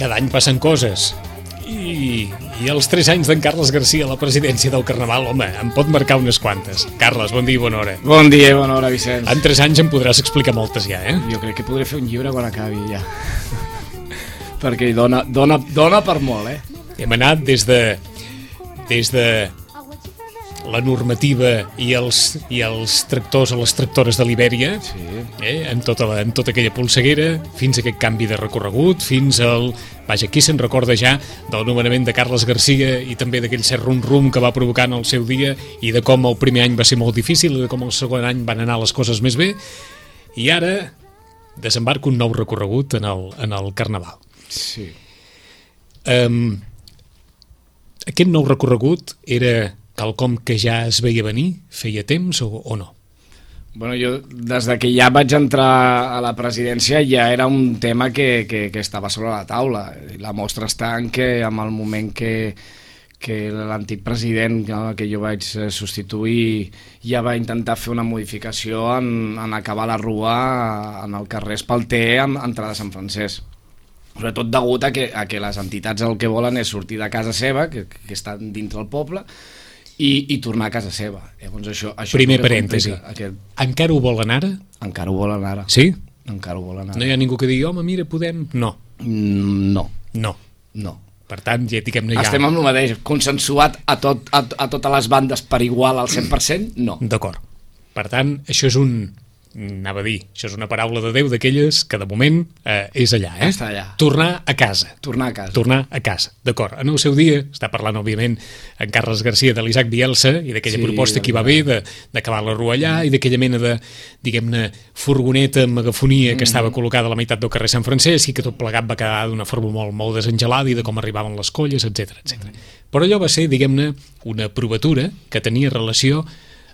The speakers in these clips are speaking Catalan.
cada any passen coses. I els 3 anys d'en Carles Garcia a la presidència del Carnaval, home, em pot marcar unes quantes. Carles, bon dia i bona hora. Bon dia i bona hora, Vicenç. En 3 anys em podràs explicar moltes ja, eh? Jo crec que podré fer un llibre quan acabi, ja. Perquè dona per molt, eh? Hem anat des de la normativa i els tractors o les tractores de l'Ibèria, Sí. en tota aquella polseguera, fins a aquest canvi de recorregut, fins al... Vaja, qui se'n recorda ja del nomenament de Carles Garcia i també d'aquell cert rum-rum que va provocar en el seu dia i de com el primer any va ser molt difícil i de com el segon any van anar les coses més bé, i ara desembarca un nou recorregut en el Carnaval. Sí. Aquest nou recorregut era quelcom que ja es veia venir, feia temps o no? Bueno, jo, des que ja vaig entrar a la presidència, ja era un tema que estava sobre la taula. La mostra està en que, en el moment que l'antic president, que jo vaig substituir, ja va intentar fer una modificació en acabar la rua en el carrer Espalter, amb entrada a Sant Francesc. Sobretot degut a que les entitats el que volen és sortir de casa seva, que estan dintre el poble, i tornar a casa seva. Llavors això primer parèntesi, encara ho volen ara? Encara ho volen ara. Sí? Encara ho volen ara. No hi ha ningú que digui, home, mira, podem... No. No. Per tant, ja diguem-ne ja... Estem amb el mateix, consensuat a totes les bandes per igual al 100%, no. D'acord. Per tant, això és anava a dir, això és una paraula de Déu d'aquelles que de moment és allà, eh? Està allà. Tornar a casa. Tornar a casa. D'acord. En el seu dia, està parlant, òbviament, en Carles Garcia de l'Isaac Bielsa i d'aquella proposta que hi va haver d'acabar la rua allà i d'aquella mena de, diguem-ne, furgoneta amb megafonia que estava col·locada a la meitat del carrer Sant Francesc i que tot plegat va quedar d'una forma molt, molt desengelada i de com arribaven les colles, etc. Però allò va ser, diguem-ne, una provatura que tenia relació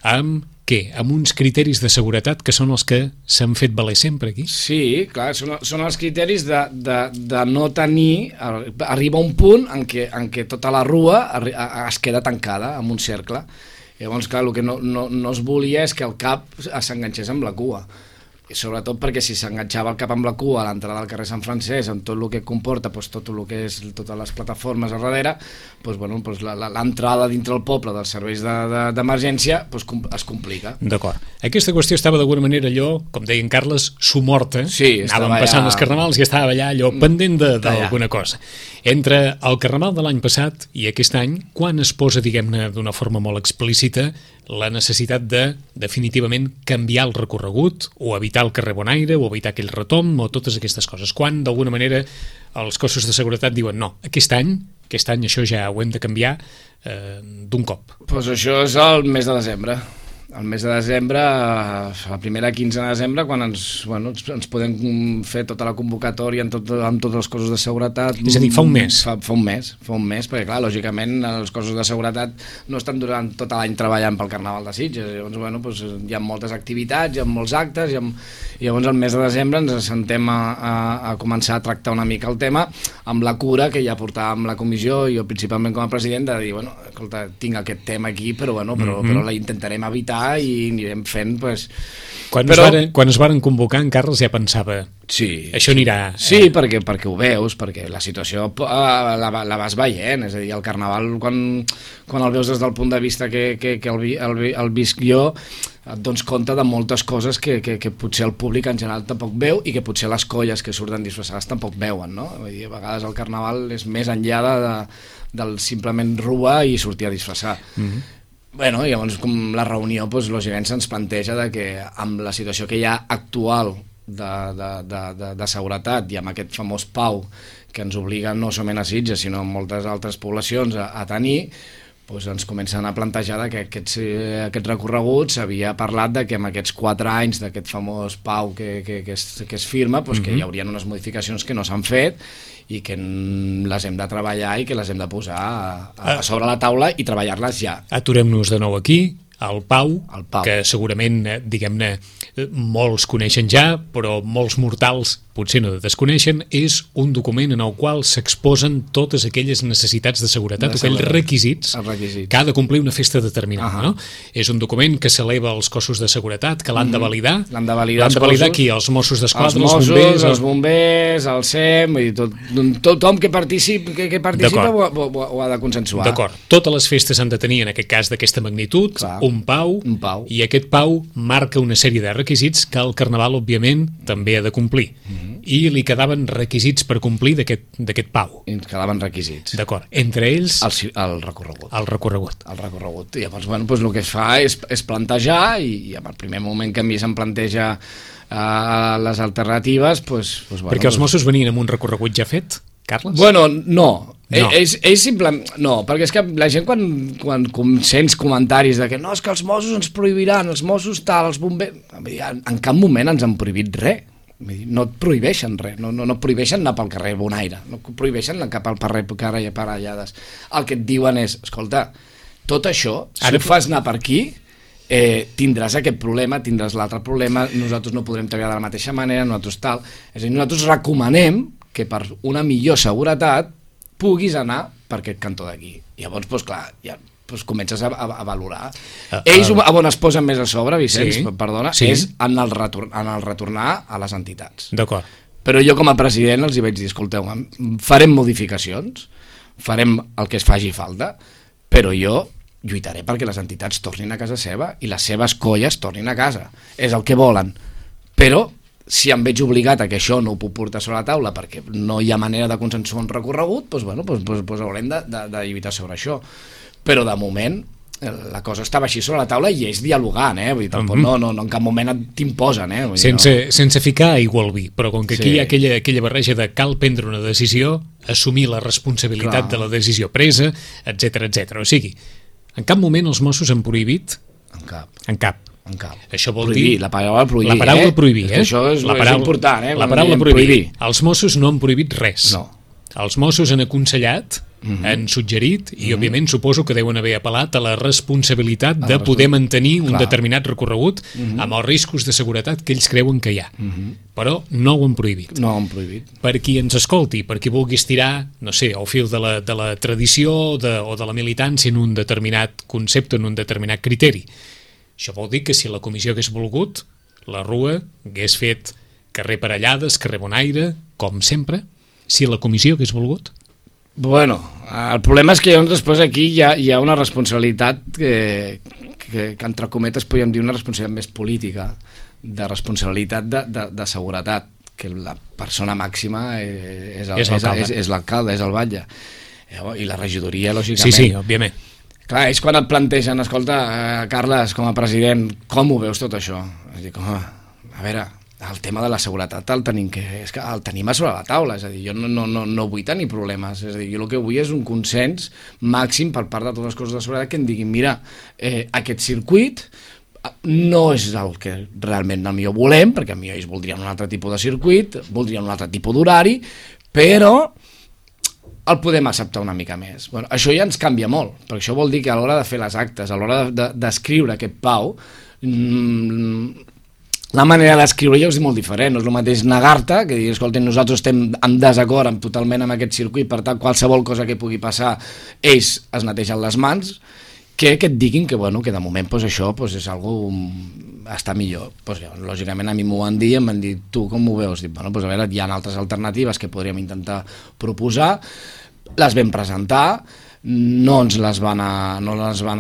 amb què? Amb uns criteris de seguretat que són els que s'han fet valer sempre aquí? Sí, clar, són els criteris de no tenir... Arriba un punt en què tota la rua es queda tancada en un cercle. Llavors, clar, el que no es volia és que el cap s'enganxés amb la cua. I sobretot perquè si s'enganxava el cap amb la cua a l'entrada del carrer Sant Francesc, amb tot el que comporta, tot el que és totes les plataformes a darrere, l'entrada dintre el poble dels serveis d'emergència es complica. D'acord. Aquesta qüestió estava d'alguna manera allò, com deia en Carles, sumorta. Sí, anàvem passant els carnavals i estava allà allò pendent d'alguna cosa. Entre el carnaval de l'any passat i aquest any, quan es posa, diguem-ne, d'una forma molt explícita, la necessitat de, definitivament, canviar el recorregut o evitar el carrer Bonaire o evitar aquell retomb o totes aquestes coses? Quan, d'alguna manera, els cossos de seguretat diuen no, aquest any això ja ho hem de canviar d'un cop? Doncs això és el mes de desembre. El mes de desembre, la primera quinzena de desembre, quan ens podem fer tota la convocatòria amb tots els cossos de seguretat. És a dir, fa un mes. Fa un mes, perquè clar, lògicament els cossos de seguretat no estan durant tot l'any treballant pel Carnaval de Sitges. Llavors, hi ha moltes activitats, hi ha molts actes, i llavors el mes de desembre ens sentem a començar a tractar una mica el tema amb la cura que ja portàvem la comissió, i jo principalment com a president, de dir, escolta, tinc aquest tema aquí, però la intentarem evitar i anirem fent, Quan es varen convocar, en Carles ja pensava això anirà... Sí, perquè ho veus, perquè la situació la vas veient, és a dir, el Carnaval, quan el veus des del punt de vista que el visc jo, et dones compte de moltes coses que potser el públic en general tampoc veu i que potser les colles que surten disfressades tampoc veuen, no? Vull dir, a vegades el Carnaval és més enllà del simplement rua i sortir a disfressar. Llavors, com la reunió, lògicament se'ns planteja que amb la situació que hi ha actual de seguretat i amb aquest famós PAU que ens obliga no solament a Sitges sinó a moltes altres poblacions a tenir, ens comencen a plantejar que aquest recorregut s'havia parlat que amb aquests 4 anys d'aquest famós PAU que es firma, que hi haurien unes modificacions que no s'han fet i que les hem de treballar i que les hem de posar a sobre la taula i treballar-les ja. Aturem-nos de nou aquí, al Pau, que segurament, diguem-ne, molts coneixen ja, però molts mortals potser no desconeixen, és un document en el qual s'exposen totes aquelles necessitats de seguretat, aquells requisits que ha de complir una festa determinada. No? És un document que s'eleva als cossos de seguretat, que l'han de validar. L'han de validar qui? Els Mossos d'Esquadra, els bombers, el SEM, tothom que participa ho ha de consensuar. D'acord. Totes les festes han de tenir, en aquest cas d'aquesta magnitud, un pau, i aquest pau marca una sèrie de requisits que el Carnaval, òbviament, també ha de complir. I li quedaven requisits per complir d'aquest pau. I ens quedaven requisits. D'acord. Entre ells... El recorregut. El recorregut. I llavors, el que es fa és plantejar, i en el primer moment que a mi se'm planteja les alternatives... Perquè els Mossos venien amb un recorregut ja fet, Carles? Bueno, no. Ells simplement... No, perquè és que la gent quan sents comentaris de que no, és que els Mossos ens prohibiran, els Mossos tal, els bombers... En cap moment ens han prohibit res. No et prohibeixen res, no prohibeixen anar pel carrer Bonaire, no prohibeixen anar cap al carrer Parellades. El que et diuen és, escolta, tot això, si ho fas anar per aquí, tindràs aquest problema, tindràs l'altre problema, nosaltres no podrem treballar de la mateixa manera, nosaltres tal... És a dir, nosaltres recomanem que per una millor seguretat puguis anar per aquest cantó d'aquí. Llavors, clar, ja... comences a valorar. Ells on es posen més a sobre, Vicenç, perdona, és en el retornar a les entitats. D'acord. Però jo com a president els hi vaig dir, escolteu, farem modificacions, farem el que es faci falta, però jo lluitaré perquè les entitats tornin a casa seva i les seves colles tornin a casa. És el que volen. Però si em veig obligat a que això no ho puc portar sobre la taula perquè no hi ha manera de consensuar un recorregut, doncs haurem de lluitar sobre això. Però de moment la cosa estava així sobre la taula i ells dialogant, vull dir, tampoc no en cap moment t'imposen, sense ficar aigua al vi, però com que aquí hi ha aquella barreja de cal prendre una decisió, assumir la responsabilitat de la decisió presa, etc. O sigui, en cap moment els Mossos han prohibit? En cap. Això vol dir... La paraula prohibir. La paraula prohibir, Això és important, La paraula prohibir. Els Mossos no han prohibit res. No. Els Mossos han aconsellat, han suggerit, i òbviament suposo que deuen haver apel·lat a la responsabilitat de poder mantenir un determinat recorregut amb els riscos de seguretat que ells creuen que hi ha. Però no ho han prohibit. No ho han prohibit. Per qui ens escolti, per qui vulgui estirar, no sé, al fil de la tradició o de la militància en un determinat concepte, en un determinat criteri. Això vol dir que si la comissió hagués volgut, la Rua hagués fet carrer Parellades, carrer Bonaire, com sempre, si la comissió hagués volgut? Bueno, el problema és que després aquí hi ha una responsabilitat que entre cometes podríem dir una responsabilitat més política, de responsabilitat de seguretat, que la persona màxima és l'alcalde, és el batlle, i la regidoria, lògicament. Sí, òbviament. Clar, ells quan et plantegen, escolta, Carles, com a president, com ho veus tot això? Dic, home, a veure, el tema de la seguretat el tenim a sobre la taula, és a dir, jo no vull tenir problemes, és a dir, jo el que vull és un consens màxim per part de totes les coses de seguretat que em diguin, mira, aquest circuit no és el que realment el millor volem, perquè a mi ells voldrien un altre tipus de circuit, voldrien un altre tipus d'horari, però el podem acceptar una mica més. Bueno, això ja ens canvia molt, perquè això vol dir que a l'hora de fer les actes, a l'hora d'escriure aquest pau, la manera d'escriure ja és molt diferent, no és el mateix negar-te, que dir, escolta, nosaltres estem en desacord totalment amb aquest circuit, per tant, qualsevol cosa que pugui passar, ells es netegen les mans, que et diguin que, bueno, que de moment això és algo està millor. Lògicament a mi m'ho van dir i em van dir, tu com ho veus? Dic, bueno, a veure, hi ha altres alternatives que podríem intentar proposar, les vam presentar, no ens les van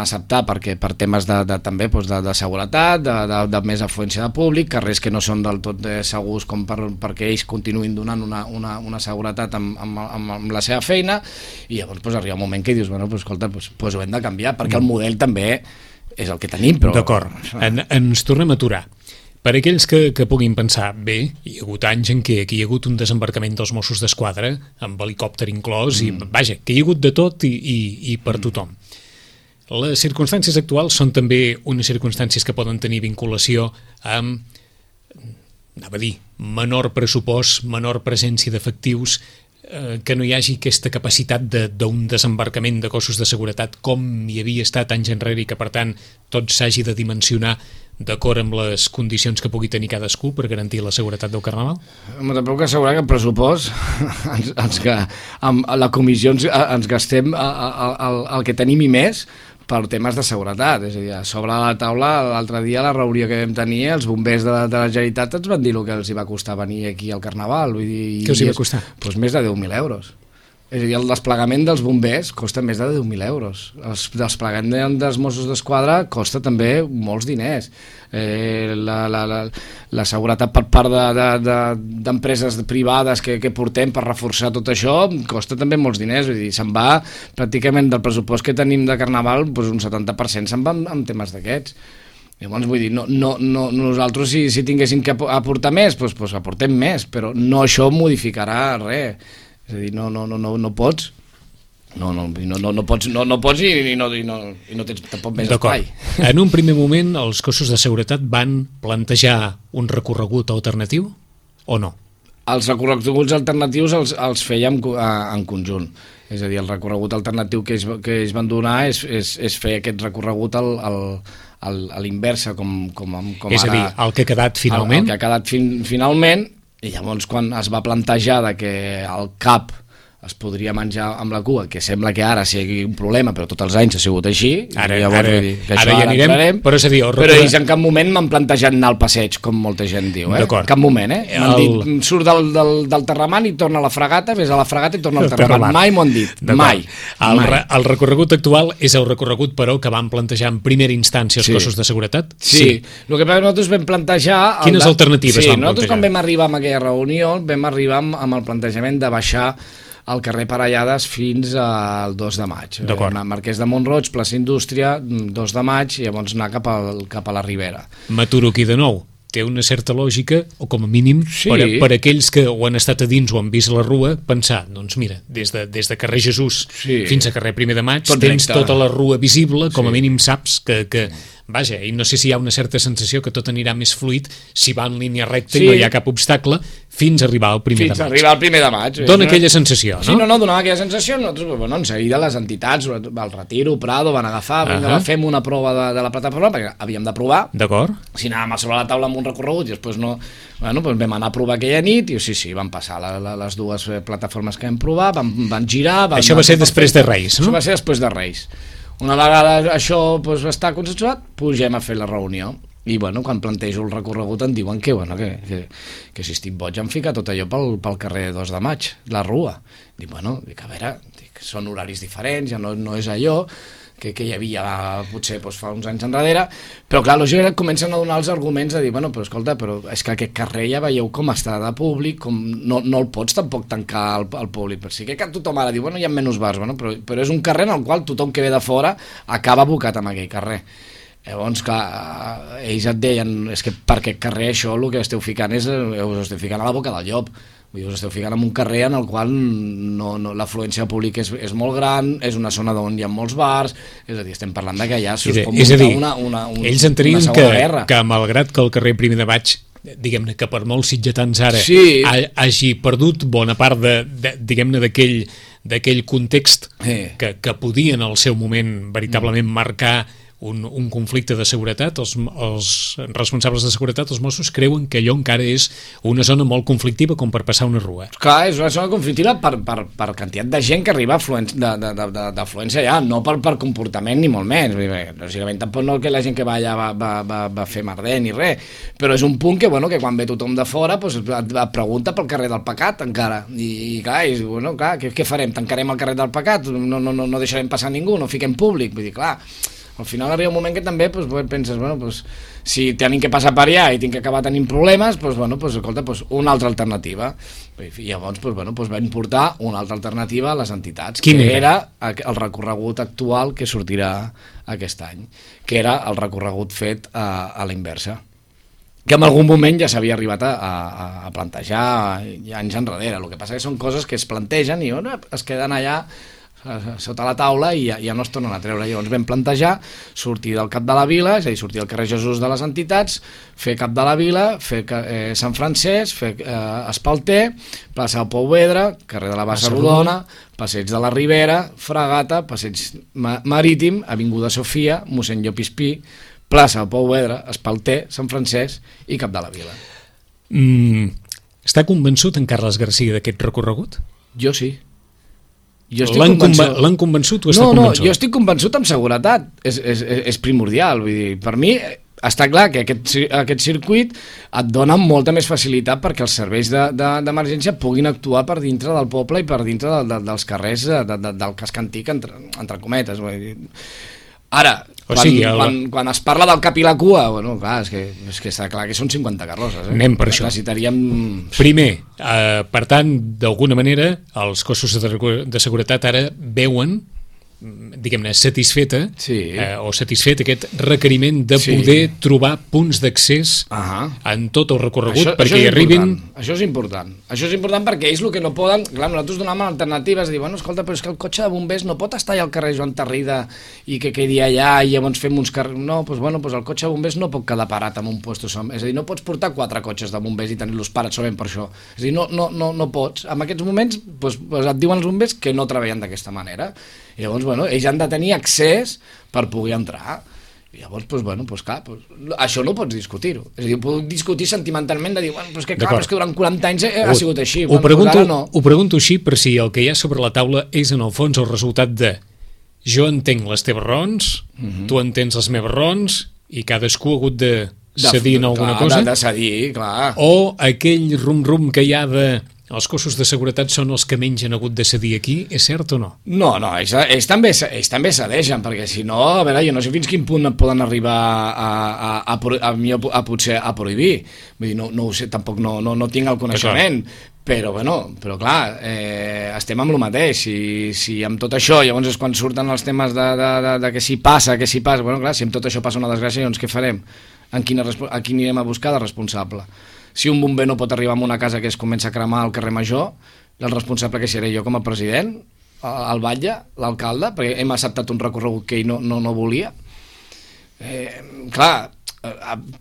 acceptar perquè per temes també de seguretat, de més afluència de públic, carrers que no són del tot segurs com perquè ells continuïn donant una seguretat amb la seva feina, i llavors arriba un moment que dius, bueno, escolta, ho hem de canviar, perquè el model també és el que tenim. D'acord, ens tornem a aturar. Per aquells que puguin pensar, bé, hi ha hagut anys en què aquí hi ha hagut un desembarcament dels Mossos d'Esquadra, amb helicòpter inclòs, i vaja, que hi ha hagut de tot i per tothom. Les circumstàncies actuals són també unes circumstàncies que poden tenir vinculació amb, anava a dir, menor pressupost, menor presència d'efectius, que no hi hagi aquesta capacitat d'un desembarcament de cossos de seguretat com hi havia estat anys enrere i que, per tant, tot s'hagi de dimensionar d'acord amb les condicions que pugui tenir cadascú per garantir la seguretat del Carnaval? Te puc assegurar que el pressupost, amb la comissió ens gastem el que tenim i més per temes de seguretat. És a dir, sobre la taula, l'altre dia, la reunió que vam tenir, els bombers de la Generalitat ens van dir el que els hi va costar venir aquí al Carnaval. Vull dir, què els hi va costar? Doncs més de 10.000 euros. És a dir, el desplegament dels bombers costa més de 10.000 euros. El desplegament dels Mossos d'Esquadra costa també molts diners. La seguretat per part d'empreses privades que portem per reforçar tot això costa també molts diners. Vull dir, se'n va pràcticament del pressupost que tenim de Carnaval, doncs un 70% se'n va en temes d'aquests. Llavors, vull dir, nosaltres si tinguéssim que aportar més, doncs aportem més, però no això modificarà res. És a dir, no pots. No pots i no tens tampoc més espai. En un primer moment, els cossos de seguretat van plantejar un recorregut alternatiu o no? Els recorreguts alternatius els fèiem en conjunt. És a dir, el recorregut alternatiu que ells van donar és fer aquest recorregut a l'inversa, com és a dir, el que ha quedat finalment? El que ha quedat finalment. I llavors quan es va plantejar que el cap es podria menjar amb la cua, que sembla que ara sigui un problema, però tots els anys ha sigut així. Ara ja anirem, però és a dir... Però ells en cap moment m'han plantejat anar al passeig, com molta gent diu. En cap moment, M'han dit, surt del Terramant i torna a la fregata, vés a la fregata i torna al Terramant. Mai m'ho han dit, mai. El recorregut actual és el recorregut, però, que van plantejar en primera instància els cossos de seguretat? Sí. El que nosaltres vam plantejar... Quines alternatives van plantejar? Nosaltres quan vam arribar a aquella reunió vam arribar amb el plantejament de baixar al carrer Parellades fins al 2 de maig. Marquès de Mont-roig, plaça Indústria, 2 de maig, i llavors anar cap a la Ribera. M'aturo aquí de nou. Té una certa lògica, o com a mínim, per aquells que ho han estat a dins o han vist la rua, pensar, doncs mira, des de carrer Jesús fins a carrer Primer de Maig, tens tota la rua visible, com a mínim saps que vaja, i no sé si hi ha una certa sensació que tot anirà més fluid si va en línia recta i no hi ha cap obstacle fins a arribar al primer de maig. Fins a arribar al primer de maig. Dóna aquella sensació, no? Sí, donava aquella sensació. Nosaltres, en seguida les entitats, el Retiro, Prado, van agafar, fem una prova de la plataforma, perquè havíem de provar. D'acord. Si anàvem a sobre la taula amb un recorregut i després no... doncs vam anar a provar aquella nit i sí, van passar les dues plataformes que vam provar, van girar... Això va ser després de Reis, no? Això va ser després de Reis. Una vegada això està consensuat, pugem a fer la reunió. I quan plantejo el recorregut em diuen que si estic boig em fica tot allò pel carrer 2 de maig, la rua. Dic, a veure, són horaris diferents, ja no és allò que hi havia potser fa uns anys enrere, però clar, lògicament comencen a donar els arguments de dir, però escolta, però és que aquest carrer ja veieu com està de públic, com no el pots tampoc tancar al públic, però sí que tothom ara diu, hi ha menys bars, però és un carrer en el qual tothom que ve de fora acaba abocat en aquell carrer. Llavors, clar, ells et deien, és que per aquest carrer això el que esteu ficant us esteu ficant a la boca del llop. Us esteu ficant en un carrer en el qual l'afluència pública és molt gran, és una zona on hi ha molts bars, és a dir, estem parlant que allà s'us pot muntar una ells entenien que malgrat que el carrer Primer de Maig, diguem-ne que per molts sitgetans ara hagi perdut bona part diguem-ne d'aquell context que podia en el seu moment veritablement marcar un conflicte de seguretat, els responsables de seguretat, els Mossos, creuen que allò encara és una zona molt conflictiva com per passar una rua. Clar, és una zona conflictiva per quantitat de gent que arriba d'afluència allà, no per comportament ni molt menys. Lògicament tampoc no que la gent que va allà va fer merder ni res, però és un punt que quan ve tothom de fora et pregunta pel carrer del Pecat encara, i clar, què farem? Tancarem el carrer del Pecat? No deixarem passar ningú? No fiquem públic? Vull dir, clar, al final arriba un moment que també penses, si tenim que passar per allà i tinc que acabar tenint problemes, escolta, una altra alternativa. I llavors vam portar una altra alternativa a les entitats, que era el recorregut actual que sortirà aquest any, que era el recorregut fet a la inversa, que en algun moment ja s'havia arribat a plantejar anys enrere. El que passa que són coses que es plantegen i es queden allà sota la taula i ja no es tornen a treure. Llavors vam plantejar sortir del cap de la vila, és a dir, sortir del carrer Jesús de les entitats, fer cap de la vila, fer Sant Francesc, fer Espalter, plaça del Pou Vedra, carrer de la Bassa Rodona, passeig de la Ribera, Fregata, passeig Marítim, avinguda Sofia, mossèn Llop i Espí, plaça Pau Vedra, Espalter, Sant Francesc i Cap de la Vila. Està convençut en Carles Garcia d'aquest recorregut? Jo sí. L'han convençut o està convençut? Jo estic convençut amb seguretat. És primordial. Vull dir, per mi està clar que aquest circuit et dona molta més facilitat perquè els serveis d'emergència puguin actuar per dintre del poble i per dintre dels carrers del casc antic, entre cometes. Vull dir. Ara, quan es parla del cap i la cua, bueno, clar, és que està clar que són 50 carrosses. Anem per això. Necessitaríem... Primer, per tant, d'alguna manera, els cossos de seguretat ara veuen, diguem-ne, satisfeta o satisfet aquest requeriment de poder trobar punts d'accés en tot el recorregut perquè hi arribin... Això és important. Això és important perquè ells el que no poden... Clar, nosaltres donem alternatives, dir, bueno, escolta, però és que el cotxe de bombers no pot estar allà al carrer Joan Tarrida i que quedi allà i llavors fem uns carrers... No, doncs bueno, el cotxe de bombers no pot quedar parat en un lloc. És a dir, no pots portar 4 cotxes de bombers i tenir-los parats solament per això. És a dir, no pots. En aquests moments et diuen els bombers que no treballen d'aquesta manera. I llavors, bueno, ells han de tenir accés per poder entrar. I llavors, clar, això no pots discutir-ho. És a dir, puc discutir sentimentalment de dir, bueno, és que durant 40 anys ha sigut així. Ho pregunto així per si el que hi ha sobre la taula és en el fons el resultat de jo entenc les teves raons, tu entens les meves raons i cadascú ha hagut de cedir en alguna cosa? De cedir, clar. O aquell rum-rum que hi ha de... Els cossos de seguretat són els que menys han hagut de cedir aquí, és cert o no? No, ells també cedeixen, perquè si no, a veure, jo no sé fins quin punt poden arribar potser a prohibir. Vull dir, no ho sé, tampoc no tinc el coneixement, però clar, estem amb el mateix. Si amb tot això, llavors és quan surten els temes de que si passa, bueno, clar, si amb tot això passa una desgràcia, llavors què farem? A qui anirem a buscar de responsable? Si un bomber no pot arribar a una casa que es comença a cremar al carrer Major, el responsable que seré jo com a president, el batlle, l'alcalde, perquè hem acceptat un recorregut que ell no volia. Clar,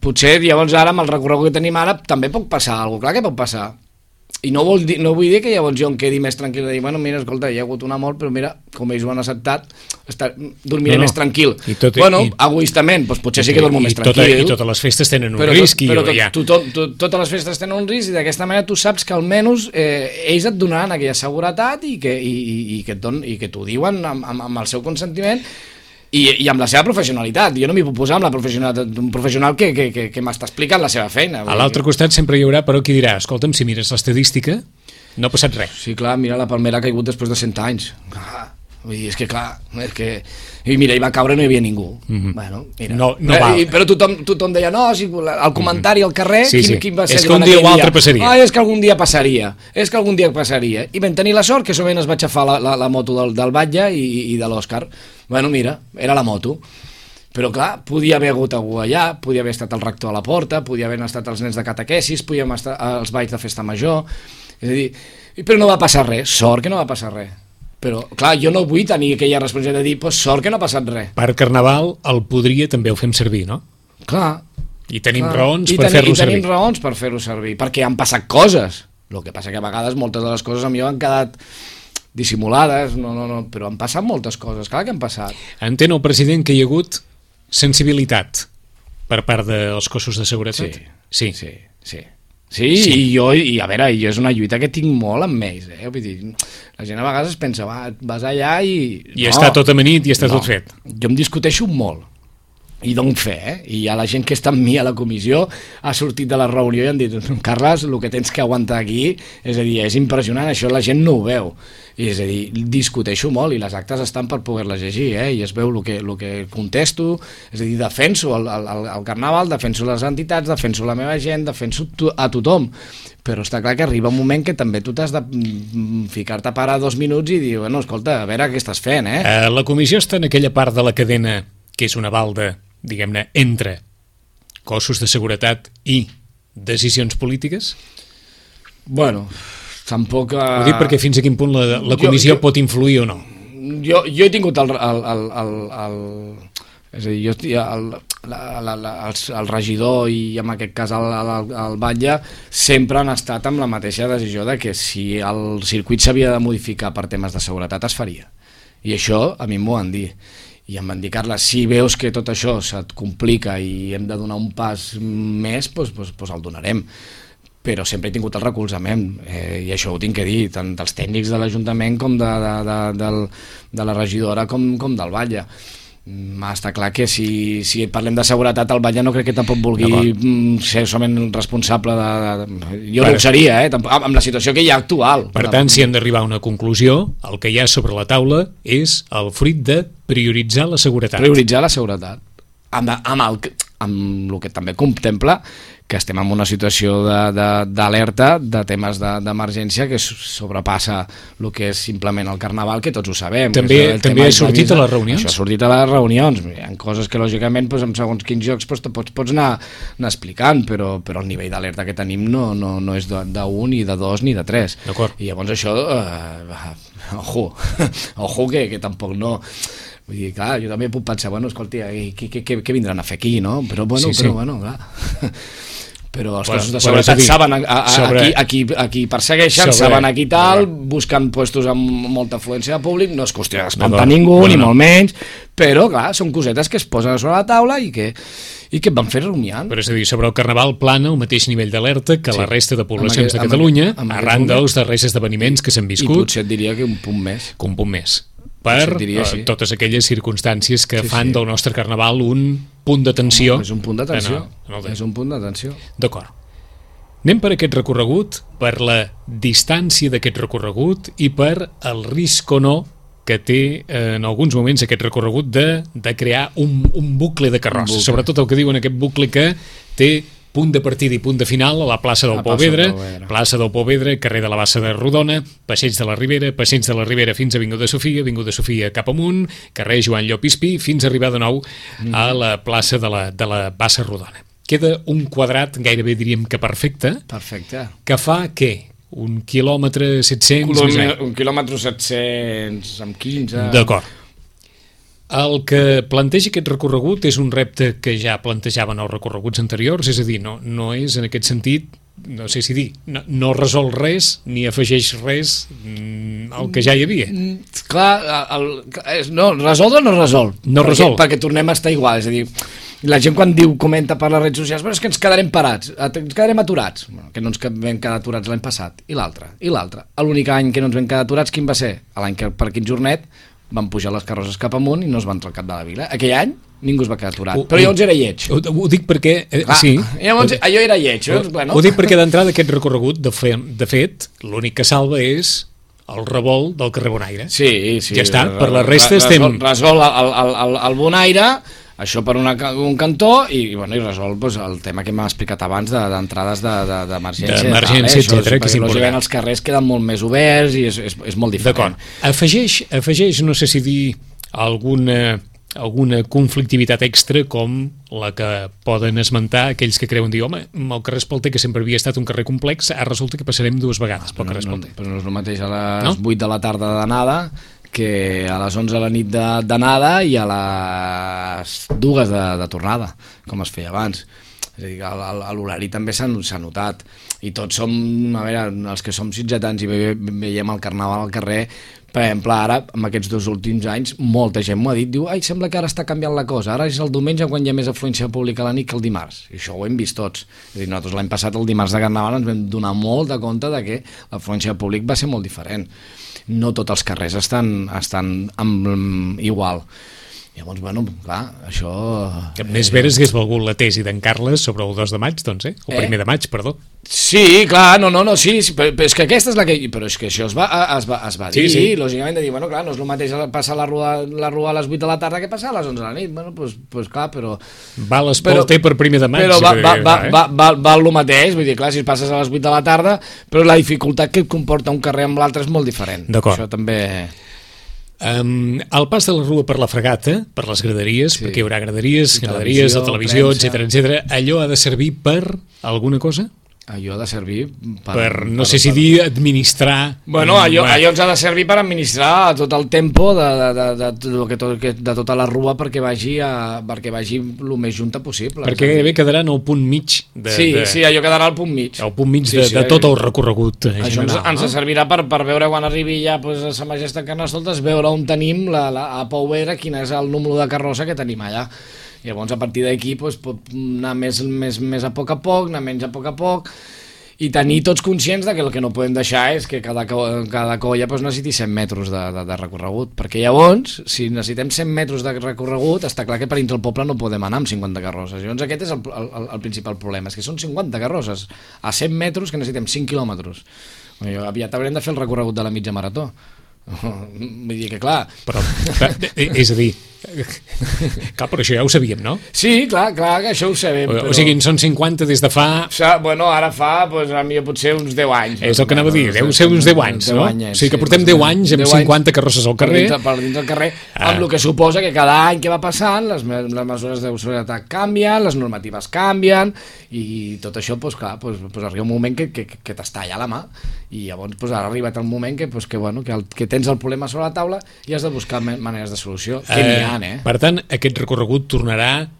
potser llavors ara amb el recorregut que tenim ara també pot passar alguna cosa, clar que pot passar. I no vull dir que llavors jo em quedi més tranquil de dir, bueno, mira, escolta, hi ha hagut una mort, però mira, com ells ho han acceptat, dormiré més tranquil. Egoistament, doncs potser sí que dormo més tranquil. I totes les festes tenen un risc. Però totes les festes tenen un risc i d'aquesta manera tu saps que almenys ells et donaran aquella seguretat i que t'ho diuen amb el seu consentiment i amb la seva professionalitat. Jo no m'hi puc posar amb la professionalitat d'un professional que m'està explicant la seva feina. A l'altre costat sempre hi haurà, però qui dirà, escolta'm, si mires l'estadística, no ha passat res. Sí, clar, mira la palmera que ha caigut després de 100 anys. Vull dir, és que clar, i mira, hi va caure i no hi havia ningú. Bueno, mira. No val. Però tothom deia, no, el comentari al carrer, quin va ser? És que un dia o altre passaria. És que algun dia passaria. I vam tenir la sort que sovint es va aixafar la moto del batlle i de l'Òscar. Bueno, mira, era la moto. Però clar, podia haver hagut algú allà, podia haver estat el rector a la porta, podia haver estat els nens de catequesis, podíem estar als balls de festa major. És a dir, però no va passar res, sort que no va passar res. Però, clar, jo no vull tenir aquella responsabilitat de dir, pues, sort que no ha passat res. Per Carnaval el podria també ho fem servir, no? Clar. I tenim raons per fer-lo servir. I tenim raons per fer-ho servir, perquè han passat coses. El que passa que a vegades moltes de les coses a mi han quedat dissimulades, però han passat moltes coses, clar que han passat. Entén el president que hi ha hagut sensibilitat per part dels cossos de seguretat? Sí. I a veure, jo és una lluita que tinc molt amb ells, vull dir, la gent a vegades es pensa, vas allà i... I està tot amanit i està tot fet. Jo em discuteixo molt i dono fe, i hi ha la gent que està amb mi a la comissió, ha sortit de la reunió i han dit, Carles, el que tens que aguantar aquí, és a dir, és impressionant, això la gent no ho veu, i és a dir, discuteixo molt i les actes estan per poder-les llegir, i es veu el que contesto, és a dir, defenso el Carnaval, defenso les entitats, defenso la meva gent, defenso a tothom, però està clar que arriba un moment que també tu t'has de ficar-te a parar 2 minuts i dir, bueno, escolta, a veure què estàs fent, La comissió està en aquella part de la cadena que és una balda, diguem-ne, entre cossos de seguretat i decisions polítiques? Bueno, tampoc... Ho dic perquè fins a quin punt la comissió pot influir o no? Jo he tingut és a dir, el regidor i en aquest cas el batlle sempre han estat amb la mateixa decisió de que si el circuit s'havia de modificar per temes de seguretat es faria, i això a mi m'ho han dit. i em van dir, Carles, si veus que tot això se't complica i hem de donar un pas més, doncs el donarem. Però sempre he tingut el recolzament, i això ho tinc que dir, tant dels tècnics de l'Ajuntament com de la regidora com del Batlle. Està clar que si parlem de seguretat, el Batlle no crec que tampoc vulgui ser solament responsable jo no ho seria, amb la situació que hi ha actual. Per tant, si hem d'arribar a una conclusió, el que hi ha sobre la taula és el fruit de prioritzar la seguretat. Prioritzar la seguretat. Amb el que també contempla que estem en una situació d'alerta de temes d'emergència que sobrepassa el que és simplement el Carnaval, que tots ho sabem. També ha sortit a les reunions? Això ha sortit a les reunions. Hi ha coses que, lògicament, en segons quins jocs pots anar explicant, però el nivell d'alerta que tenim no és d'1, ni de 2, ni de 3. I llavors això, ojo, que tampoc no... Vull dir, clar, jo també puc pensar, bueno, escolta, què vindran a fer aquí, no? Però bueno, clar... Però els cossos de seguretat saben a qui persegueixen, saben a qui tal, busquen puestos amb molta afluència de públic, no és qüestió d'espantar ningú, ni molt menys, però clar, són cosetes que es posen sobre la taula i que van fer rumiant. Però és a dir, sobre el Carnaval plana el mateix nivell d'alerta que la resta de poblacions de Catalunya, arran dels darrers esdeveniments que s'han viscut. I potser et diria que un punt més. Que un punt més. Per totes aquelles circumstàncies que fan del nostre Carnaval un punt d'atenció. És un punt d'atenció. És un punt d'atenció. D'acord. Anem per aquest recorregut, per la distància d'aquest recorregut i per el risc o no que té en alguns moments aquest recorregut de crear un bucle de carrosses. Sobretot el que diuen aquest bucle que té punt de partida i punt de final a la plaça del Pouvedre, plaça del Pouvedre, carrer de la Bassa de Rodona, passeig de la Ribera fins a Avinguda Sofia cap amunt, carrer Joan Llopispí, fins a arribar de nou a la plaça de la Bassa Rodona. Queda un quadrat, gairebé diríem que perfecte, que fa què? Un quilòmetre 700? Un quilòmetre 700 amb 15... D'acord. El que planteja aquest recorregut és un repte que ja plantejaven els recorreguts anteriors, és a dir, no és en aquest sentit, no sé si dir, no resol res ni afegeix res al que ja hi havia. Clar, resoldre no resol. No resol. Perquè tornem a estar igual, és a dir, la gent quan comenta per les redes socials, però és que ens quedarem parats, ens quedarem aturats. Bueno, que no ens vam quedar aturats l'any passat, i l'altre. L'únic any que no ens vam quedar aturats, quin va ser? L'any que per quin jornet van pujar les carrosses cap amunt i no es van trencar de la vila. Aquell any ningú es va quedar aturat, però llavors era lleig. Ho dic perquè... sí. Llavors allò era lleig. Ho dic perquè d'entrada aquest recorregut, de fet, l'únic que salva és el revolt del carrer Bonaire. Sí. Ja està, per la resta estem... Resol el Bonaire, això per un cantó i resol el tema que m'ha explicat abans d'entrades d'emergència. D'emergència, etcètera, que és important. Lògicament els carrers queden molt més oberts i és molt diferent. D'acord. Afegeix, no sé si dir, alguna conflictivitat extra com la que poden esmentar aquells que creuen dir, home, el carrer Espalter, que sempre havia estat un carrer complex, ara resulta que passarem 2 vegades pel carrer Espalter. Però no és el mateix a les 8 de la tarda d'anada que a les 11 de la nit d'anada i a les 2 de tornada, com es feia abans. És a dir, l'horari també s'ha notat. I tots som, a veure, els que som sitgetans i veiem el Carnaval al carrer, per exemple, ara, en aquests 2 últims anys, molta gent m'ho ha dit, diu, sembla que ara està canviant la cosa, ara és el diumenge quan hi ha més afluència pública a la nit que el dimarts. I això ho hem vist tots. És a dir, nosaltres l'any passat, el dimarts de Carnaval, ens vam donar molt de compte de que l'afluència pública va ser molt diferent. No tots els carrers estan igual. Llavors, clar, això... Més veres hagués valgut la tesi d'en Carles sobre el 2 de maig, doncs, el 1 de maig, perdó. Sí, clar, sí, però és que aquesta és la que... Però és que això es va dir, sí. Lògicament, de dir, clar, no és el mateix passar la rua a les 8 de la tarda que passar a les 11 de la nit. Doncs clar, però... Va l'Espalter per 1 de maig. Però val el mateix, vull dir, clar, si passes a les 8 de la tarda, però la dificultat que et comporta un carrer amb l'altre és molt diferent. D'acord. Això també... El pas de la Rua per la Fregata, per les graderies, perquè hi haurà graderies, de televisió, etc, allò ha de servir per alguna cosa? Allò ha de servir no sé si dir administrar... Bueno, allò ens ha de servir per administrar tot el tempo de tota la rua perquè vagi el més junta possible. Perquè bé quedarà en el punt mig. Sí, allò quedarà al punt mig. El punt mig de tot el recorregut general. Això ens servirà per veure quan arribi ja a Sa Majestat Carnestoltes, veure on tenim a Pou Vera, quin és el número de carrossa que tenim allà. I llavors a partir d'aquí pot anar més a poc, anar menys a poc, i tenir tots conscients que el que no podem deixar és que cada colla necessiti 100 metres de recorregut, perquè llavors, si necessitem 100 metres de recorregut, està clar que per dintre el poble no podem anar amb 50 carrosses. Llavors aquest és el principal problema, és que són 50 carrosses a 100 metres que necessitem 5 quilòmetres. Aviat haurem de fer el recorregut de la mitja marató. Vull dir que clar... Però, és a dir, clar, però això ja ho sabíem, no? Sí, clar, que això ho sabem. O sigui, són 50 des de fa... Bueno, ara fa, a mi potser uns 10 anys. És el que anava a dir, deu ser uns 10 anys, no? O sigui que portem 10 anys amb 50 carrosses al carrer. Per dins del carrer, amb el que suposa que cada any que va passant, les mesures de seguretat canvien, les normatives canvien, i tot això, clar, arriba un moment que t'estalla la mà, i llavors ara ha arribat el moment que tens el problema sobre la taula i has de buscar maneres de solució, que n'hi ha, Per tant, aquest recorregut tornarà,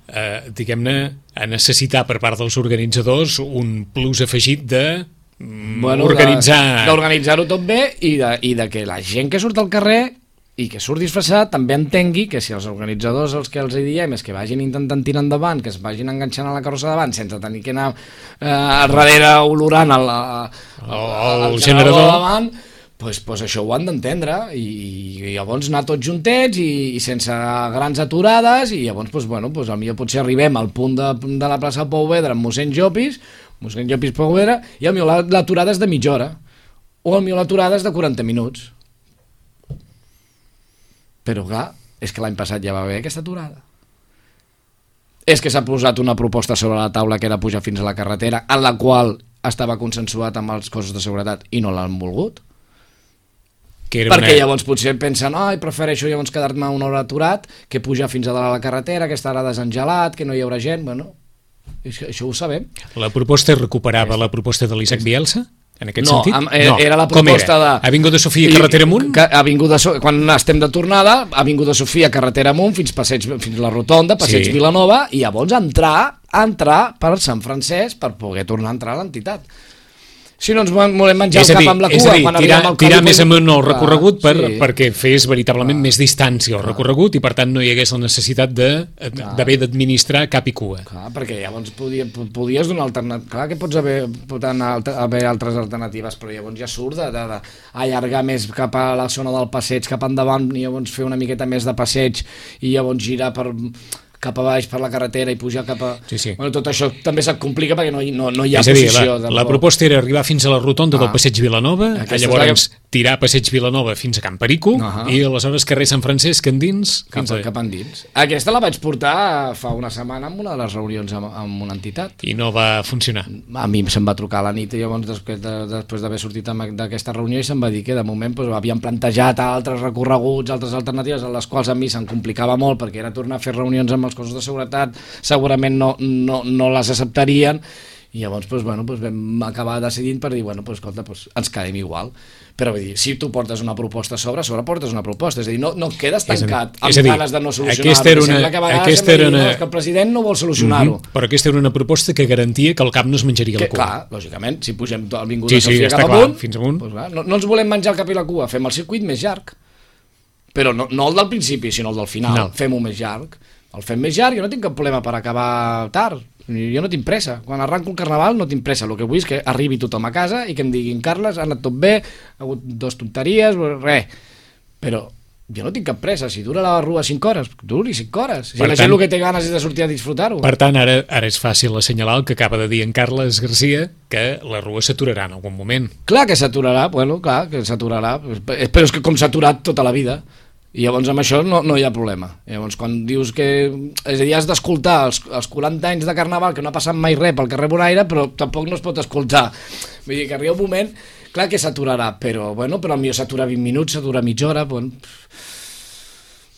diguem-ne, a necessitar per part dels organitzadors un plus afegit d'organitzar-ho tot bé i de que la gent que surt al carrer i que surt disfressat també entengui que si els organitzadors els que els diem és que vagin intentant tirar endavant, que es vagin enganxant a la carrossa davant sense tenir que anar darrere olorant el generador davant, pues això ho han d'entendre i llavors anar tots juntets i sense grans aturades, i llavors potser arribem al punt de la plaça Pou Vedra amb mossèn Llopis Pou Vedra, i potser l'aturada és de mitja hora o potser l'aturada és de 40 minuts, però clar, és que l'any passat ja va haver aquesta aturada, és que s'ha posat una proposta sobre la taula que era pujar fins a la carretera, en la qual estava consensuat amb els cossos de seguretat i no l'han volgut, perquè llavors potser pensen prefereixo llavors quedar-me una hora aturat que pujar fins a dalt a la carretera, que estarà desengelat, que no hi haurà gent. Això ho sabem. La proposta recuperava la proposta de l'Isaac Bielsa? En aquest sentit? No, era la proposta de... Avinguda Sofia, carretera amunt? Quan estem de tornada, Avinguda Sofia, carretera amunt, fins la Rotonda, Passeig Vilanova, i llavors entrar per Sant Francesc per poder tornar a entrar a l'entitat. Si no ens volem menjar el cap amb la cua, quan arribem al tirar més amunt el recorregut perquè fes veritablement més distància al recorregut i per tant no hi hagués la necessitat d'haver d'administrar cap i cua. Clar, perquè llavors podies donar alternativa. Clar que pot haver altres alternatives, però llavors ja surt d'allargar més cap a la zona del passeig, cap endavant, i llavors fer una miqueta més de passeig i llavors girar cap a baix per la carretera i pujar cap a... Sí. Bueno, tot això també se't complica perquè no hi ha posició. La proposta era arribar fins a la rotonda del Passeig Vilanova, llavors tirar Passeig Vilanova fins a Camp Perico i aleshores carrer Sant Francesc endins cap endins. Aquesta la vaig portar fa una setmana en una de les reunions amb una entitat. I no va funcionar. A mi se'm va trucar a la nit i llavors després d'haver sortit d'aquesta reunió i se'm va dir que de moment havien plantejat altres recorreguts, altres alternatives, a les quals a mi se'm complicava molt perquè era tornar a fer reunions amb els cossos de seguretat, segurament no les acceptarien, i llavors vam acabar decidint per dir, escolta, ens quedem igual. Però vull dir, si tu portes una proposta a sobre portes una proposta, és a dir, no quedes tancat amb ganes de no solucionar-ho, sembla que a vegades que el president no vol solucionar-ho. Però aquesta era una proposta que garantia que el cap no es menjaria la cua. Clar, lògicament, si pugem Avinguda Sofia cap amunt, fins amunt, no ens volem menjar el cap i la cua, fem el circuit més llarg, però no el del principi, sinó el del final, fem-ho més llarg. El fem més llarg, jo no tinc cap problema per acabar tard, jo no tinc pressa, quan arranco el carnaval no tinc pressa, el que vull és que arribi tothom a casa i que em diguin, Carles, ha anat tot bé, ha hagut 2 tonteries, res, però jo no tinc cap pressa, si dura la rua 5 hores, duri 5 hores, si la gent el que té ganes és de sortir a disfrutar-ho. Per tant, ara és fàcil assenyalar el que acaba de dir en Carles Garcia, que la rua s'aturarà en algun moment. Clar que s'aturarà, clar que s'aturarà, però és que com s'ha aturat tota la vida. I llavors amb això no hi ha problema. Llavors quan dius que... És a dir, has d'escoltar els 40 anys de Carnaval que no ha passat mai res pel carrer Bonaire, però tampoc no es pot escoltar. Vull dir que arriba un moment, clar que s'aturarà, però potser s'atura 20 minuts, s'atura mitja hora,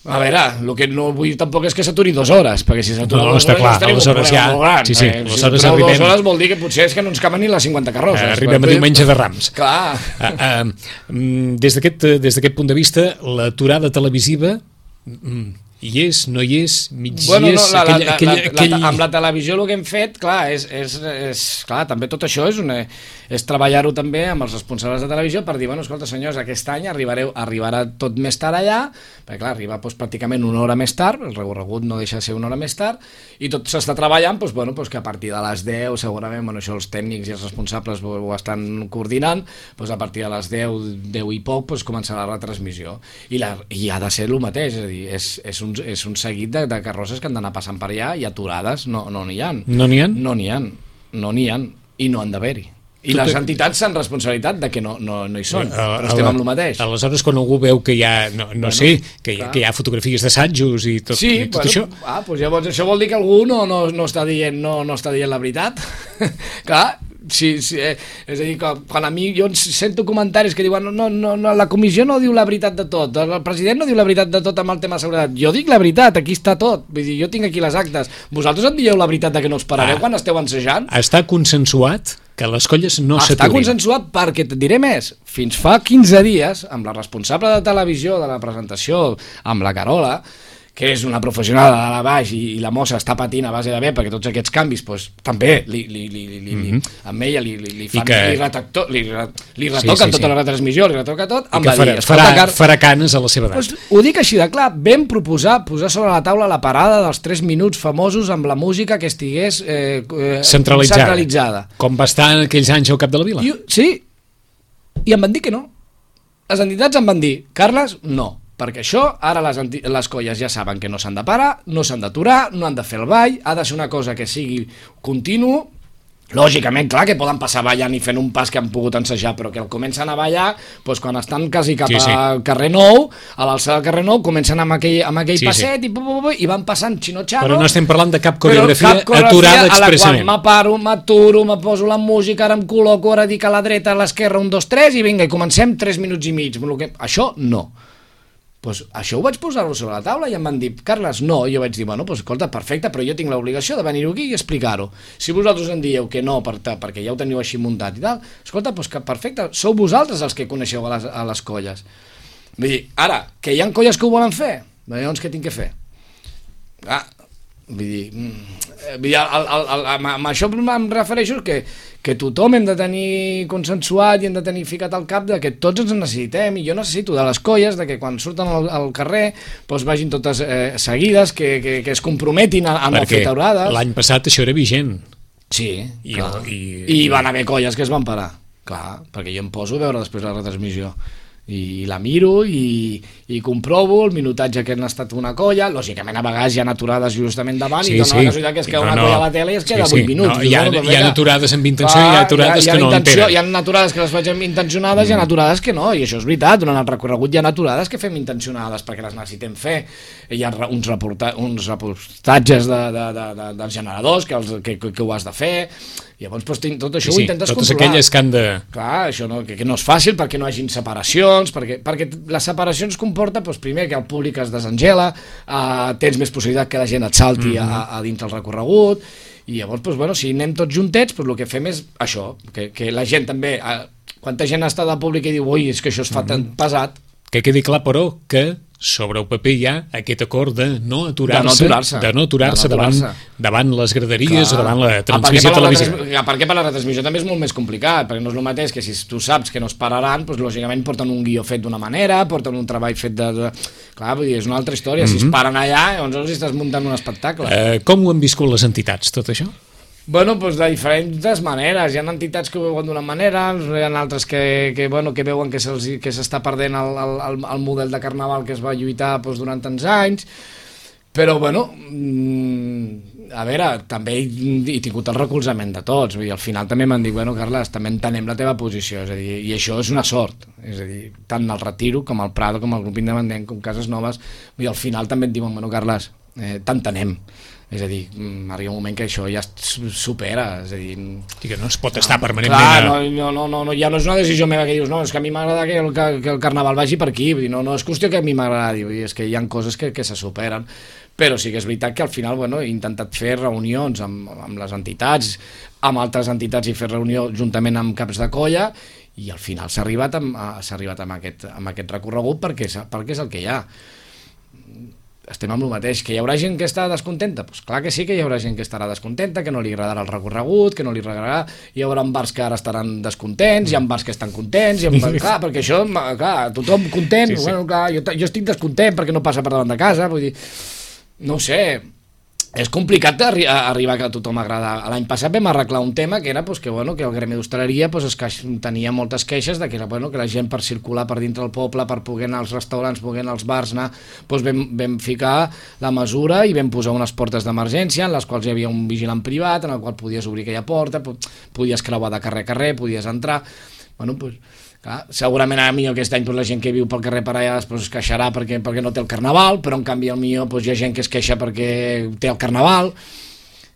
A veure, el que no vull tampoc és que s'aturi 2 hores, perquè si s'atura 2 està hores clar, tenim un aleshores problema molt gran. sí, Si aleshores s'atura arribem... 2 hores vol dir que potser és que no ens caben ni les 50 carrosses. Arribem a diumenge de Rams. Clar. Des d'aquest punt de vista, l'aturada televisiva hi és, no hi és, mig Bueno, hi és... amb la televisió el que hem fet, clar, clar, també tot això és treballar-ho també amb els responsables de televisió per dir, bueno, escolta, senyors, aquest any arribarà tot més tard allà, perquè clar, arriba pràcticament una hora més tard, el recorregut no deixa de ser una hora més tard, i tot s'està treballant, que a partir de les 10, segurament, això els tècnics i els responsables ho estan coordinant, a partir de les 10 i poc, començarà la retransmissió. I ha de ser el mateix, és a dir, és un seguit de carrosses que han d'anar passant per allà i aturades no n'hi ha. No n'hi ha? No n'hi ha, i no han d'haver-hi. I les entitats s'han responsabilitat de que no hi són, però estem amb el mateix. Aleshores, quan algú veu que hi ha, que hi ha fotografies d'assajos i tot, això... Llavors això vol dir que algú no està dient la veritat. Clar, sí, és a dir, quan a mi jo sento comentaris que diuen no, la comissió no diu la veritat de tot, el president no diu la veritat de tot amb el tema de seguretat. Jo dic la veritat, aquí està tot, vull dir, jo tinc aquí les actes. Vosaltres em dieu la veritat de que no us parareu quan esteu ensejant? Està consensuat que les colles no s'aturin. Està consensuat perquè, et diré més, fins fa 15 dies, amb la responsable de televisió de la presentació, amb la Carola, que és una professional de la baix i la mossa està patint a base de bé perquè tots aquests canvis també amb ella li retoquen tota la retransmissió, li retoca tot, em va dir, farà canes a la seva edat. Ho dic així de clar, vam posar sobre la taula la parada dels 3 minuts famosos amb la música que estigués centralitzada. Com va estar en aquells anys al cap de la vila. Sí, i em van dir que no. Les entitats em van dir, Carles, no, perquè això, ara les colles ja saben que no s'han de parar, no s'han d'aturar, no han de fer el ball, ha de ser una cosa que sigui continu. Lògicament, clar, que poden passar ballant i fent un pas que han pogut ensejar, però que el comencen a ballar, quan estan quasi cap al carrer Nou, a l'alçada del carrer Nou, comencen amb aquell passet i van passant xino-xano. Però no estem parlant de cap coreografia aturada expressament. A la qual m'aturo, me poso la música, ara em col·loco, ara dic a la dreta, a l'esquerra, 1, 2, 3, i vinga, i comencem 3 minuts i mig. Això no. Això ho vaig posar-ho sobre la taula i em van dir, Carles, no, i jo vaig dir, escolta, perfecte, però jo tinc l'obligació de venir-ho aquí i explicar-ho. Si vosaltres em dieu que no, perquè ja ho teniu així muntat i tal, escolta, que perfecte, sou vosaltres els que coneixeu a les colles. Vull dir, ara, que hi ha colles que ho volen fer, llavors què tinc que fer? Vull dir, amb això em refereixo que tothom hem de tenir consensuat i hem de tenir ficat al cap de que tots ens necessitem, i jo necessito de les colles de que quan surten al carrer vagin totes seguides, que es comprometin a no fer taurades. L'any passat això era vigent. Sí, i van haver colles que es van parar, clar, perquè jo em poso a veure després la retransmissió i la miro i comprovo el minutatge que han estat una colla. Lògicament a vegades hi ha aturades justament davant i dona la casualitat que es queda una colla a la tele i es queda 8 minuts. Hi ha aturades amb intenció i hi ha aturades que no entenen. Hi ha aturades que les faig intencionades i hi ha aturades que no, i això és veritat, durant el recorregut hi ha aturades que fem intencionades perquè les necessitem fer. Hi ha uns reportatges dels generadors que ho has de fer. Llavors tot això ho intentes totes controlar. Aquelles que han de... Clar, això que no és fàcil perquè no hi hagin separacions, perquè les separacions comporta primer que el públic es desengela, tens més possibilitat que la gent et salti a dins del recorregut, i llavors si anem tots juntets, el que fem és això, que la gent també, quanta gent està de públic i diu, ui, és que això es fa tan pesat. Que quedi clar, però, que sobre el paper hi ha aquest acord de no aturar-se davant les graderies o davant la transmissió televisiva. Perquè per la retransmissió també és molt més complicat, perquè no és el mateix que si tu saps que no es pararan, lògicament porten un guió fet d'una manera, porten un treball fet de... Clar, vull dir, és una altra història. Si es paren allà, llavors els estàs muntant un espectacle. Com ho han viscut les entitats, tot això? De diferents maneres. Hi ha entitats que ho veuen d'una manera, hi ha altres que veuen que s'està perdent el model de carnaval que es va lluitar durant tants anys, però a veure, també he tingut el recolzament de tots, vull dir, al final també m'han dit, Carles, també entenem la teva posició, és a dir, i això és una sort, és a dir, tant el Retiro com el Prado com el grup independent com Cases Noves, vull dir, al final també et diuen, Carles, t'entenem, És a dir, arriba un moment que això ja es supera, és a dir... I que no es pot estar permanentment... Clar, ja no és una decisió meva que dius, no, és que a mi m'agrada que el carnaval vagi per aquí, no és qüestió que a mi m'agradi, és que hi ha coses que se superen, però sí que és veritat que al final he intentat fer reunions amb les entitats, amb altres entitats i fer reunió juntament amb caps de colla, i al final s'ha arribat amb aquest recorregut perquè és el que hi ha. Estem amb el mateix, que hi haurà gent que està descontenta? Doncs clar que sí que hi haurà gent que estarà descontenta, que no li agradarà el recorregut, que no li agradarà, hi haurà bars que ara estaran descontents, hi ha bars que estan contents, clar, perquè això, clar, tothom content, sí. Bueno, clar, jo estic descontent perquè no passa per davant de casa, vull dir, no ho sé, és complicat arribar que a tothom agrada. L'any passat vam arreglar un tema que era que el gremi d'hostaleria tenia moltes queixes de que la gent per circular per dintre del poble, per poder anar als restaurants, poder anar als bars, vam ficar la mesura i vam posar unes portes d'emergència en les quals hi havia un vigilant privat en el qual podies obrir aquella porta, podies creuar de carrer a carrer, podies entrar. Clar, segurament ara millor aquest any la gent que viu pel carrer per allà es queixarà perquè no té el carnaval, però en canvi millor hi ha gent que es queixa perquè té el carnaval.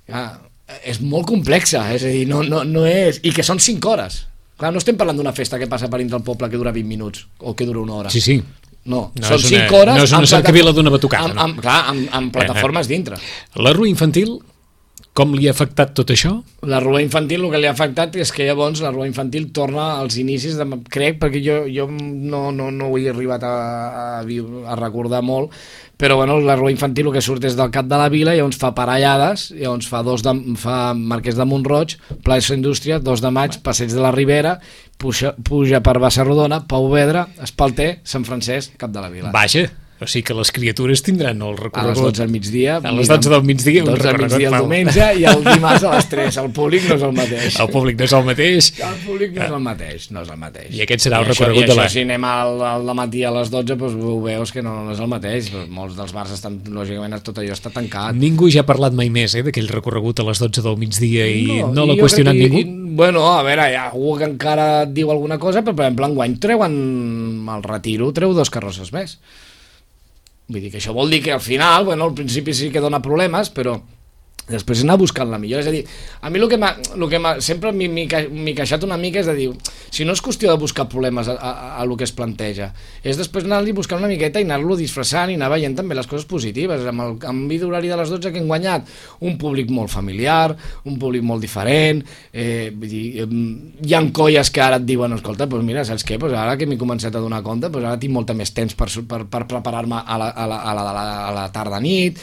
Clar, és molt complexa, és a dir, no és... I que són 5 hores. Clar, no estem parlant d'una festa que passa per dintre del poble que dura 20 minuts o que dura 1 hora. Sí. No, són 5 hores... No és una cercavila d'una batucada. Clar, amb plataformes dintre. La rua infantil, com li ha afectat tot això? La rua infantil, el que li ha afectat és que llavors la rua infantil torna als inicis, crec, perquè jo no ho he arribat a recordar molt, però la rua infantil el que surt és del cap de la vila, llavors fa parellades, llavors fa Marquès de Montroig, plaça Indústria, 2 de maig, Passeig de la Ribera, puja per Bassarrodona, Pau Vedra, Espalter, Sant Francesc, cap de la vila. Vaja! O sigui que les criatures tindran el recorregut... A les 12 del migdia... A les 12 del migdia... 12 del migdia el diumenge i el dimarts a les 3. El públic no és el mateix. El públic no és el mateix. El públic no és el mateix. I aquest serà el recorregut de la... I això, si anem al matí a les 12, ho veus que no és el mateix. Molts dels bars estan... Lògicament, tot allò està tancat. Ningú ja ha parlat mai més d'aquell recorregut a les 12 del migdia i no l'ha qüestionat ningú? Bueno, a veure, hi ha algú que encara et diu alguna cosa, però per exemple, enguany treuen el Retiro, treu 2 carrosses més. Vull dir que això vol dir que al final, al principi sí que dona problemes, però després anar buscant la millor. És a dir, a mi el que sempre m'he queixat una mica és de dir, si no és qüestió de buscar problemes a lo que es planteja, és després anar-li buscant una miqueta i anar-lo disfressant i anar veient també les coses positives. Amb el canvi d'horari de les 12 que hem guanyat, un públic molt familiar, un públic molt diferent, vull dir, hi ha colles que ara et diuen, escolta, mira, saps què? Ara que m'he començat a donar compte, ara tinc molt més temps per preparar-me a la tarda-nit.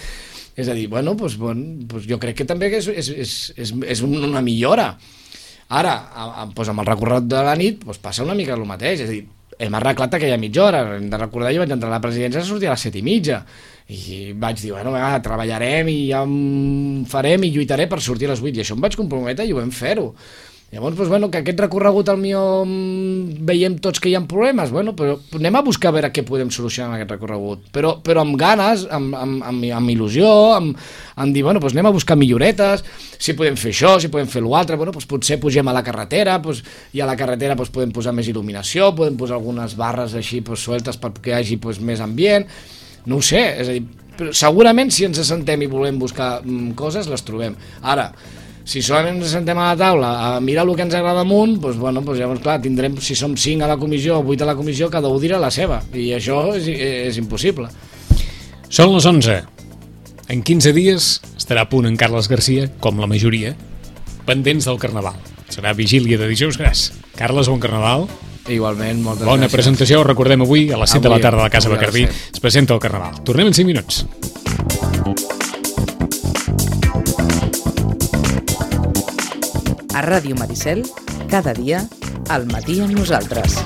És a dir, jo crec que també és una millora. Ara, amb el recorregut de la nit, passa una mica el mateix. És a dir, hem arreglat aquella mitja hora. Hem de recordar, jo vaig entrar a la presidència a sortir a les 7:30. I vaig dir, treballarem i ja farem i lluitaré per sortir a les 8. I això em vaig comprometre i ho vam fer-ho. Llavors, que aquest recorregut al millor veiem tots que hi ha problemes, però anem a buscar a veure què podem solucionar amb aquest recorregut, però amb ganes, amb il·lusió, amb dir, anem a buscar milloretes, si podem fer això, si podem fer l'altre, potser pugem a la carretera, i a la carretera podem posar més il·luminació, podem posar algunes barres així sueltes perquè hi hagi més ambient, no ho sé, és a dir, però segurament si ens assentem i volem buscar coses, les trobem. Ara, si solament ens sentem a la taula a mirar el que ens agrada amunt, llavors, clar, tindrem, si som 5 a la comissió o 8 a la comissió, cada un dirà la seva, i això és impossible. Són les 11. En 15 dies estarà a punt en Carles Garcia, com la majoria, pendents del Carnaval. Serà vigília de dijous gras. Carles, bon Carnaval. Igualment, moltes gràcies. Bona presentació, recordem avui, a les 7 de la tarda a la Casa Bacardí, es presenta el Carnaval. Tornem en 5 minuts. A Ràdio Maricel, cada dia, al matí amb nosaltres.